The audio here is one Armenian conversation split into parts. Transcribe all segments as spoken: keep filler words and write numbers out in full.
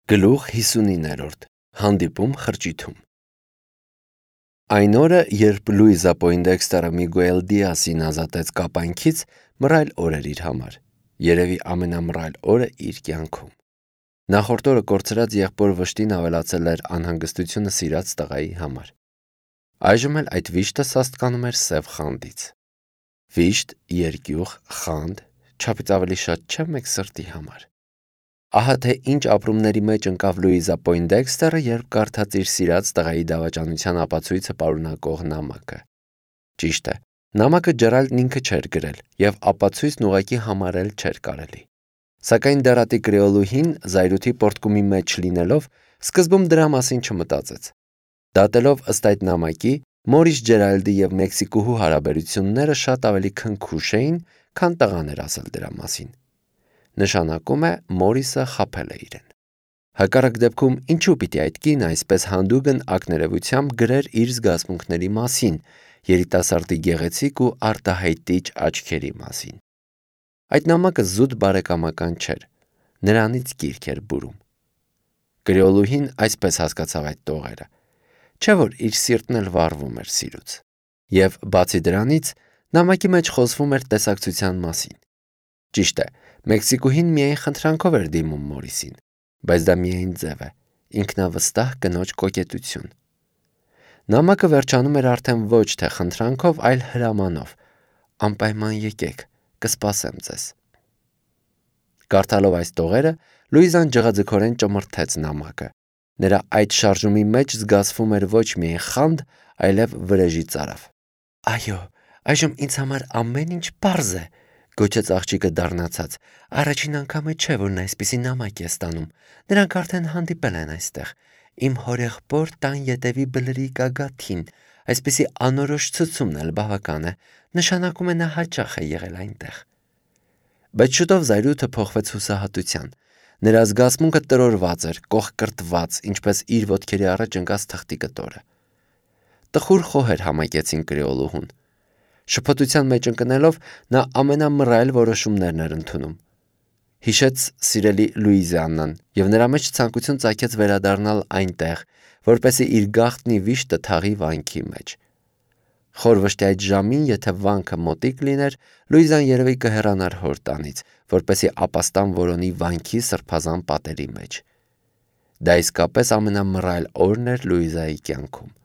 Գլուխ հիսունիններորդ հանդիպում խրճիթում Այն օրը, երբ Լուիզա Պոինդեքստերը Միգուել Դիասին ազատեց կապանքից, մռայլ օր էր իր համար, երևի ամենամռայլ օրը իր կյանքում։ Նախորդ օրը կորցրած եղբոր վշտին ավելացել էր անհանգստությունը սիրած տղայի համար։ Այժմ էլ այդ վիշտը սաստկանում էր սև խանդից։ Վիշտ, երկյուղ, խանդ, չափից ավելի շատ չէ մեկ սրտի համար։ Ահա թե ինչ ապրումների մեջ ընկավ Լուիզա Պոինդեքստերը, երբ կարդաց իր սիրած տղայի դավաճանության ապացույցը պարունակող նամակը։ Ճիշտ է, նամակը Ջերալդն ինքը չէր գրել, եւ ապացույցն ուղղակի համարել չէր կարելի։ Սակայն դարատի կրեոլուհին, զայրույթի պոռթկումի մեջ լինելով, սկզբում դրա մասին չմտածեց։ Դատելով ըստ այդ նամակի, Մորիս Ջերալդի եւ Մեքսիկուհու հարաբերությունները շատ ավելի քնքուշ էին, քան տղան էր ասել դրա մասին։ Նշանակում է Մորիսը խաբել է իրեն։ Հակառակ դեպքում ինչու պիտի այդ կինը այսպես հանդուգն ակներևությամբ գրեր իր զգացմունքների մասին, երիտասարդի գեղեցիկ ու արտահայտիչ աչքերի մասին։ Այդ նամակը զուտ բարեկամական չէր, նրանից գիրք էր բուրում։ Կրեոլուհին այսպես հասկացավ այդ տողերը, չէ՞ որ իր սիրտն էլ վառվում էր սիրուց։ Եվ բացի դրանից, նամակի մեջ խոսվում էր տեսակցության մասին։ Ճիշտ է, Մեքսիկուհին միայն խնդրանքով էր դիմում Մորիսին, բայց դա միայն ձև է, ինքնավստահ կնոջ կոկետություն։ Նամակը վերջանում էր արդեն ոչ թե խնդրանքով, այլ հրամանով. անպայման եկեք, կսպասեմ ձեզ։ Կարդալով այս տողերը, Լուիզան ջղաձգորեն ճմրթեց նամակը։ Նրա այդ շարժումի մեջ զգացվում էր ոչ միայն խանդ, այլև վրեժի ծարավ։ Այո, այժմ ինձ համար ամեն ինչ պարզ է, գոչեց աղջիկը դառնացած։ Առաջին անգամը չէ, որ նա այսպիսի նամակ է ստանում։ Նրանք արդեն հանդիպել են այստեղ։ Իմ հորեղբոր տան ետևի բլրի գագաթին, այսպիսի անորոշ ցցումն էլ բավական է, նշանակում է նա հաճախ է եղել այնտեղ։ Բայց շուտով զայրույթը փոխվեց հուսահատության։ Նրա զգացմունքը տրորված էր, կողկրտված, ինչպես իր ոտքերի առաջ ընկած թղթի կտորը։ Տխուր խոհեր համակեցին կրեոլուհուն։ Շփոթության մեջ ընկնելով, նա ամենամռայլ որոշումներն էր ընդունում։ Հիշեց սիրելի Լուիզիաննան եւ նրա մեջ ցանկություն ծագեց վերադառնալ այնտեղ, որպեսզի իր գաղտնի վիշտը թաղի վանքի մեջ։ Խոր վշտի այդ ժամին, եթե վանքը մոտիկ լիներ, Լուիզան երևի կհեռանար հոր տանից, որպեսզի ապաստան որոնի վանքի սրբազան պատերի մեջ։ Դա իսկապես ամենամռայլ օրն էր Լուիզայի կյանքում։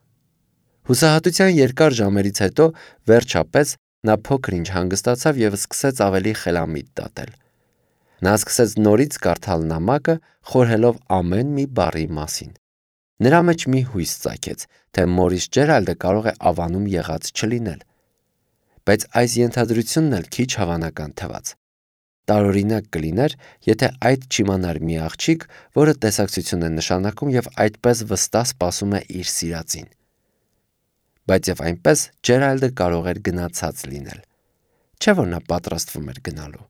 Հուսահատության երկար ժամերից հետո, վերջապես, նա փոքր-ինչ հանգստացավ եւ սկսեց ավելի խելամիտ դատել։ Նա սկսեց նորից կարդալ նամակը, խորհելով ամեն մի բառի մասին։ Նրա մեջ մի հույս ծագեց, թե Մորիս Ջերալդը կարող է ավանում եղած չլինել։ Բայց այս ենթադրությունն էլ քիչ հավանական թվաց։ Տարօրինակ կլիներ, եթե այդ չիմանար մի աղջիկ, որը տեսակցություն է նշանակում եւ այդպես վստահ սպասում է իր սիրածին։ Բայց եւ այնպես Ջերալդը կարող էր գնացած լինել։ Չէ՞ որ նա պատրաստվում էր գնալու։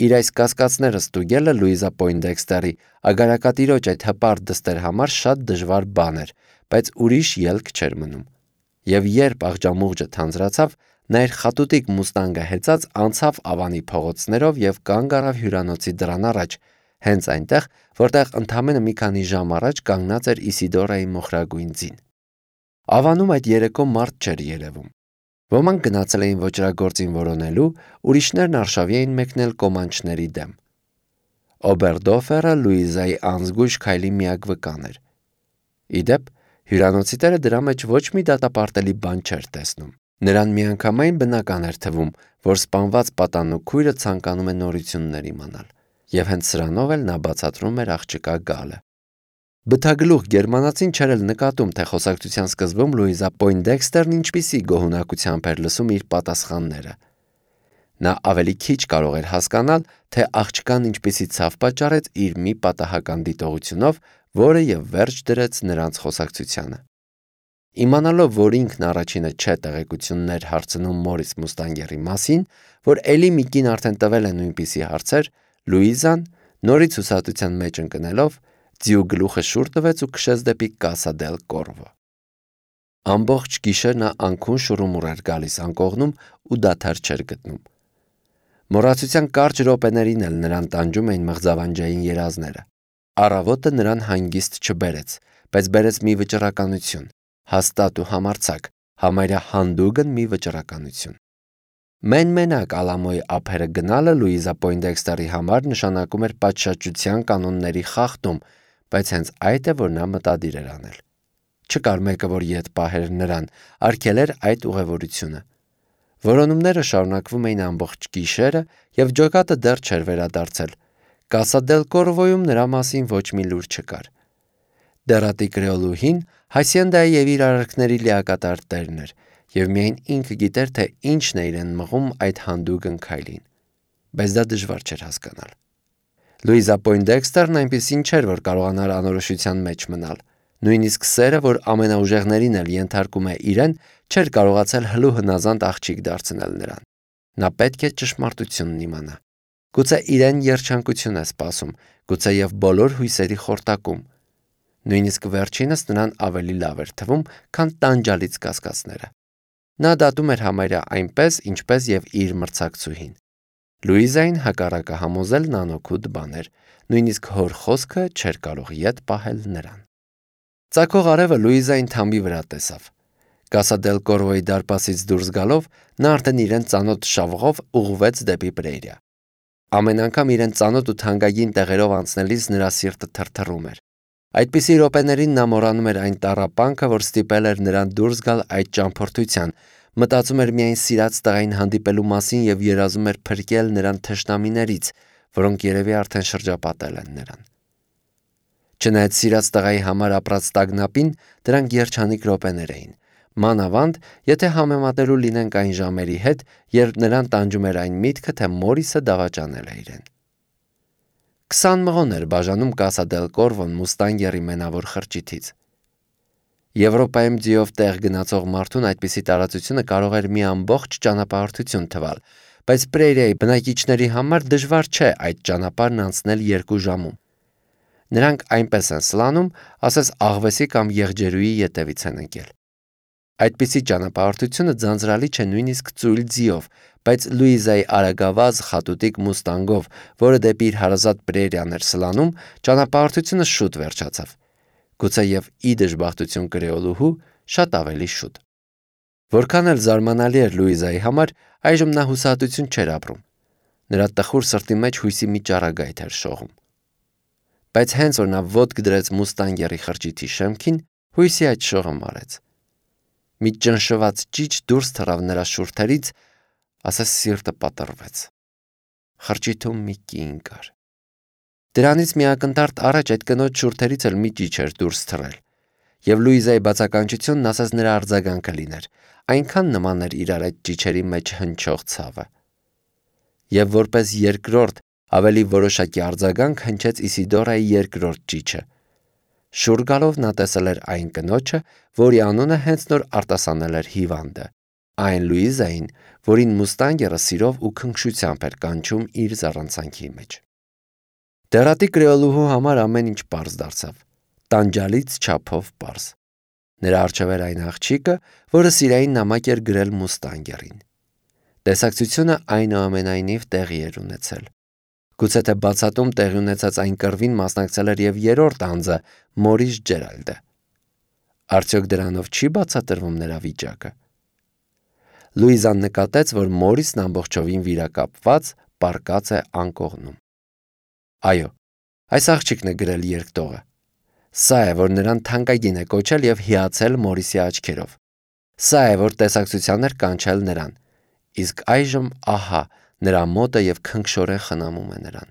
Իր այս կասկածները ստուգելը Լուիզա Պոինդեքստերի ագարակատիրոջ այդ հպարտ դստեր համար շատ դժվար բան էր, բայց ուրիշ ելք չէր մնում։ Եվ երբ աղջամուղջը թանձրացավ, նա իր խատուտիկ մուստանգը հեծած անցավ Ավանի փողոցներով եւ կանգ առավ հյուրանոցի դռան առաջ, հենց այնտեղ, որտեղ ընդամենը մի քանի ժամ առաջ կանգնած էր Իսիդորայի մոխրագույն ձին։ Ավանում այդ երեկո մարդ չէր երևում։ Ոմանք գնացել էին ոճրագործին որոնելու, ուրիշներն արշավի էին մեկնել կոմանչների դեմ։ Օբերդոֆերը Լուիզայի անզգույշ քայլի միակ վկան էր։ Ի դեպ, հյուրանոցի տերը դրա մեջ ոչ մի դատապարտելի բան չէր տեսնում։ Նրան միանգամայն բնական էր թվում, որ սպանված պատանու քույրը ցանկանում է նորություններ իմանալ, եւ հենց սրանով էլ նա բացատրում էր աղջկա գալը։ Բթագլուխ գերմանացին չէր էլ նկատում, թե խոսակցության սկզբում Լուիզա Պոինդեքստերն ինչպիսի գոհունակությամբ էր լսում իր պատասխանները։ Նա ավելի քիչ կարող էր հասկանալ, թե աղջկան ինչպիսի ցավ պատճառեց իր մի պատահական դիտողությունով, որը եւ վերջ դրեց նրանց խոսակցությանը։ Իմանալով, որ ինքն առաջինը չէ տեղեկություններ հարցնում Մորիս Մուստանգերի մասին, որ էլի մի կին արդեն տվել է նույնպիսի հարցեր, Լուիզան, նորից հուսահատության մեջ ընկնելով, ձիու գլուխը շուռ տվեց ու քշեց դեպի Կասա դել Կորվո։ Ամբողջ գիշեր նա անքուն շուռումուռ էր գալիս անկողնում ու դադար չէր գտնում։ Մոռացության կարճ րոպեներին էլ նրան տանջում էին մղձավանջային երազները։ Առավոտը նրան հանգիստ չբերեց, բայց բերեց մի վճռականություն, հաստատ ու համարձակ, համարյա հանդուգն մի վճռականություն։ Մեն-մենակ Ալամոյի ափերը գնալը Լուիզա Պոյնդեքստերի համար նշանակում էր պատշաճության կանոնների խախտում, բայց հենց այդ է, որ նա մտադիր էր անել։ Չկար մեկը, որ ետ պահեր նրան, արգելեր այդ ուղևորությունը։ Որոնումները շարունակվում էին ամբողջ գիշերը, եւ ջոկատը դեռ չէր վերադարձել։ Կասա դել Կորվոյում նրա մասին ոչ մի լուր չկար։ Դերատի կրեոլուհին Հասիենդայի եւ իր արարքների լիակատար տերն էր, եւ միայն ինքը գիտեր, թե ինչն է իրեն մղում այդ հանդուգն քայլին։ Բայց դա դժվար չէր հասկանալ։ Լուիզա Պոյնդեքստերն այնպեսին չէր, որ կարողանար անորոշության մեջ մնալ։ Նույնիսկ սերը, որ ամենաուժեղներին էլ ենթարկում է իրեն, չէր կարողացել հլու հնազանդ աղջիկ դարձնել նրան։ Նա պետք է ճշմարտությունն իմանա։ Գուցե իրեն երջանկություն է սպասում, գուցե եւ բոլոր հույսերի խորտակում։ Նույնիսկ վերջինս նրան ավելի լավ էր թվում, քան տանջալից կասկածները։ Նա դատում էր համարյա այնպես, ինչպես եւ իր մրցակցուհին։ Լուիզային հակառակը համոզելն անօգուտ բան էր, նույնիսկ հոր խոսքը չէր կարող ետ պահել նրան։ Ծակող արևը Լուիզային թամբի վրա տեսավ։ Կասա դել Կորվոյի դարպասից դուրս գալով, նա արդեն իրեն ծանոթ շավղով ուղղվեց դեպի Պրերիա։ Ամեն անգամ իրեն ծանոթ ու թանկագին տեղերով անցնելիս նրա սիրտը թրթռում էր։ Այդպիսի րոպեներին նա մոռանում էր այն տառապանքը, որ ստիպել էր նրան դուրս գալ այդ ճամփորդության, մտածում էր միայն սիրած տղային հանդիպելու մասին եւ երազում էր փրկել նրան թշնամիներից, որոնք երևի արդեն շրջապատել են նրան։ Չնայած սիրած տղայի համար ապրած տագնապին, դրանք երջանիկ րոպեներ էին, մանավանդ, եթե համեմատելու լինենք այն ժամերի հետ, երբ նրան տանջում էր այն միտքը, թե Մորիսը դավաճանել է իրեն։ Քսան մղոն էր բաժանում Կասա դել Կորվոն Մուստանգերի մենավոր խրճիթից։ Եվրոպայում ձիով տեղ գնացող մարդուն այդպիսի տարածությունը կարող էր մի ամբողջ ճանապարհորդություն թվալ, բայց Պրերիայի բնակիչների համար դժվար չէ այդ ճանապարհն անցնել երկու ժամում։ Նրանք այնպես են սլանում, ասես աղվեսի կամ եղջերուի ետևից են ընկել։ Այդպիսի ճանապարհորդությունը ձանձրալի չէ նույնիսկ ծույլ ձիով, բայց Լուիզայի արագավազ խատուտիկ Մուստանգով, որը դեպի իր հարազատ Պրերիան էր սլանում, ճանապարհորդությունը շուտ վերջացավ։ Գուցե եւ ի դժբախտություն կրեոլուհու շատ ավելի շուտ։ Որքան էլ զարմանալի էր Լուիզայի համար, այժմ նա հուսահատություն չէր ապրում։ Նրա տխուր սրտի մեջ հույսի մի ճառագայթ էր շողում։ Բայց հենց որ նա ոտք դրեց Մուստանգերի խրճիթի շեմքին, հույսի այդ շողը մարեց։ Մի ճնշված ճիչ դուրս թռավ նրա շուրթերից, ասես սիրտը պատռվեց։ Խրճիթում մի կին կար։ Դրանից մի ակնթարթ առաջ այդ կնոջ շուրթերից էլ մի ճիչ էր դուրս թռել, եւ Լուիզայի բացականչությունն ասես նրա արձագանքը լիներ, այնքան նման էր իրար այդ ճիչերի մեջ հնչող ցավը։ Եվ որպես երկրորդ, ավելի որոշակի արձագանք հնչեց Իսիդորայի երկրորդ ճիչը։ Շուռ գալով նա տեսել էր այն կնոջը, որի անունը հենց նոր արտասանել էր հիվանդը, այն Լուիզային, որին Մուստանգերը սիրով ու քնքշությամբ էր կանչում իր զառանցանքի մեջ։ Դերատի կրեոլուհու համար ամեն ինչ պարզ դարձավ, տանջալից չափով պարզ։ Նրա առջև էր այն աղջիկը, որը սիրային նամակ էր գրել Մուստանգերին։ Տեսակցությունը այնուամենայնիվ տեղի էր ունեցել։ Գուցե թե բացատում տեղի ունեցած այն կռվին մասնակցել էր եւ երրորդ անձը Մորիս Ջերալդը։ Արդյոք դրանով չի բացատրվում նրա վիճակը։ Լուիզան նկատեց, որ Մորիսն ամբողջովին վիրակապված պառկած է անկողնում։ Այո, այս աղջիկն է գրել երկտողը։ Սա է, որ նրան թանկագին է կոչել եւ հիացել Մորիսի աչքերով։ Սա է, որ տեսակցության էր կանչել նրան։ Իսկ այժմ ահա նրա մոտը եւ քնքշորեն խնամում է նրան։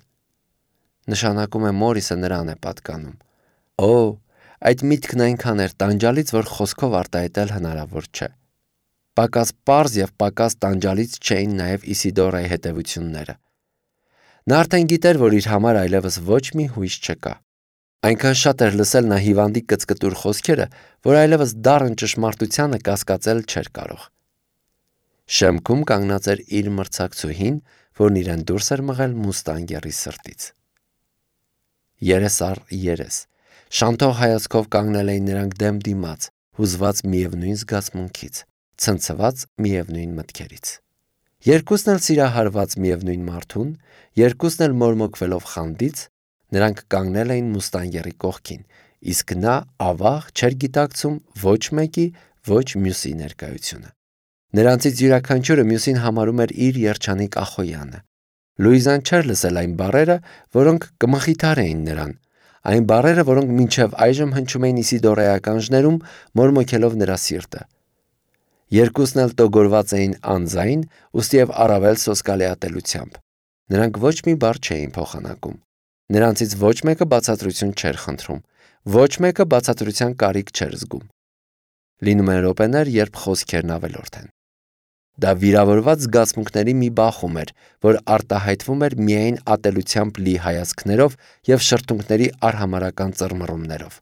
Նշանակում է Մորիսը նրան է պատկանում։ Օ, այդ միտքն այնքան էր տանջալից, որ խոսքով արտահայտել հնարավոր չէ։ Պակաս պարզ եւ պակաս տանջալից չէին նաեւ Իսիդորայի հետևությունները։ Նա արդեն գիտեր, որ իր համար այլևս ոչ մի հույս չկա։ Այնքան շատ էր լսել նա հիվանդի կծկտուր խոսքերը, որ այլևս դառն ճշմարտությանը կասկածել չէր կարող։ Շեմքում կանգնած էր իր մրցակցուհին, որն իրեն դուրս էր մղել Մուստանգերի սրտից։ Երես առ երես, շանթող հայացքով կանգնել էին նրանք դեմ դիմաց, հուզված միևնույն զգացմունքից, ցնցված միևնույն մտքերից։ Երկուսն էլ սիրահարված միևնույն մարդուն, երկուսն էլ մորմոքվելով խանդից, Նրանք կանգնել էին մուստանգերի կողքին, իսկ նա ավաղ չէր գիտակցում ոչ մեկի, ոչ մյուսի ներկայությունը։ Նրանցից յուրաքանչյուրը մյուսին համարում էր իր երջանիկ Ախոյանը։ Լուիզան չէր լսել այն բառերը, որոնք կմխիթարեին նրան, այն բառերը, որոնք մինչև այժմ հնչում էին Իսիդորայի ականջներում, մորմոքելով նրա սիրտը։ Երկուսն էլ տոգորված էին անձայն, ուստի և առավել սոսկալի ատելությամբ։ Նրանք ոչ մի բառ չէին փոխանակում։ Նրանցից ոչ մեկը բացատրություն չէր խնդրում, ոչ մեկը բացատրության կարիք չէր զգում։ Լինում են րոպեներ, երբ խոսքերն ավելորդ են։ Դա վիրավորված զգացմունքների մի բախում էր, որ արտահայտվում էր միայն ատելությամբ լի հայացքներով և շրթունքների արհամարհական ծռմռումներով։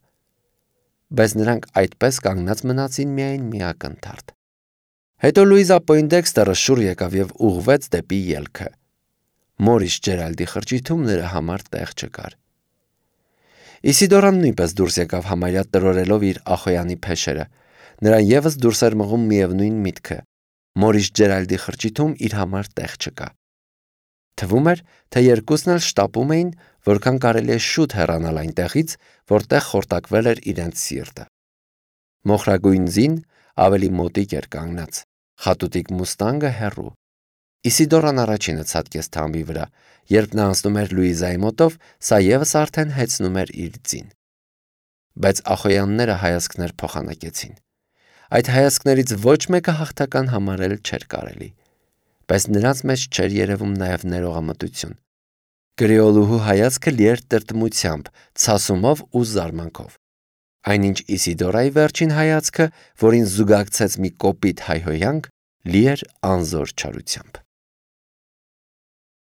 Բայց նրանք այդպես կանգնած մնացին միայն մի ակնթարթ։ Հետո Լուիզա Պոյնդեքստերը շուռ եկավ և ուղղվեց դեպի ելքը։ Մորիս Ջերալդի խրճիթում նրա համար տեղ չկար։ Իսիդորան նույնպես դուրս եկավ համարյա տրորելով իր Ախոյանի փեշերը։ Նրան ևս դուրս էր մղում միևնույն միտքը։ Մորիս Ջերալդի խրճիթում իր համար տեղ չկա։ Թվում էր, թե երկուսն էլ շտապում էին, որքան կարելի է շուտ հեռանալ այնտեղից, որտեղ խորտակվել էր իրենց սիրտը։ Մոխրագույն ձին ավելի մոտիկ էր կանգնած, խատուտիկ մուստանգը հեռու։ Իսիդորան առաջինը ցատկեց թամբի վրա, երբ նա անցնում էր Լուիզայի մոտով, սա ևս արդեն հեծնում էր իր ձին։ Բայց Ախոյանները հայացքներ փոխանակեցին։ Այդ հայացքներից ոչ մեկը հաղթական համարել չէր կարելի, բայց նրանց մեջ չէր երևում նաև ներողամտություն։ Կրեոլուհու հայացքը լի էր տրտմությամբ, ցասումով ու զարմանքով։ Այնինչ Իսիդորայի վերջին հայացքը, որին զուգակցեց մի կոպիտ հայհոյանք, լի էր անզոր չարությամբ։